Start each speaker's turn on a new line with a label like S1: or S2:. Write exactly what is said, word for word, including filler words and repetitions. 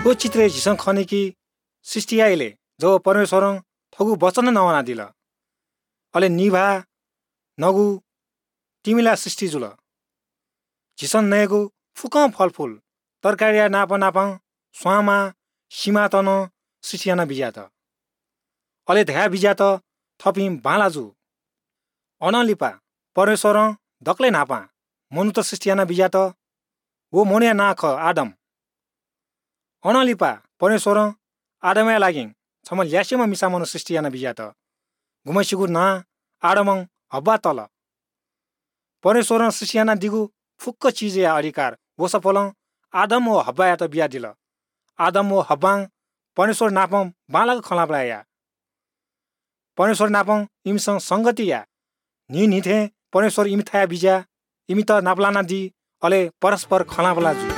S1: थ्‍व चित्रय् झीसं खनी कि सृष्टि याइले जब परमेश्‍वरं थगु वचन नवानादिल। अले निभाः, नगु, तिमिला सृष्टि जुल। झीसं नयेगु फुक्‍कं फलफुल, तरकारीया नाप नापं स्‍वामा सिमात नं सृष्टि यानाबिज्‍यात। अले धयाबिज्‍यात थःपिं बांला जु। अनं लिपा परमेश्‍वरं दकलय् न्‍हापां मनूत सृष्टि यानाबिज्‍यात। व मनूया नां खः आदम। अनं लिपा परमेश्‍वरं आदमया लागि छम्‍ह ल्‍यासेम्‍ह मिसामनू सृष्टि यानाबिज्‍यात। गुम्‍हय्‌सिगु नां आदमं हव्वा तल। परमेश्‍वरं सृष्टि यानादीगु फुक्‍क चिजया अधिकार व सफलं आदम व हव्वायात बियादिल। आदम व हव्वां परमेश्‍वर नापं बांलाक खँ ल्‍हाः याः। परमेश्‍वर नापं इमिसं संगति याः। न्‍हिं न्‍हिथें परमेश्‍वर इमिथाय् बिज्‍याः इमित नापलानादी, अले परस्‍पर खँ ल्‍हाः जुइ।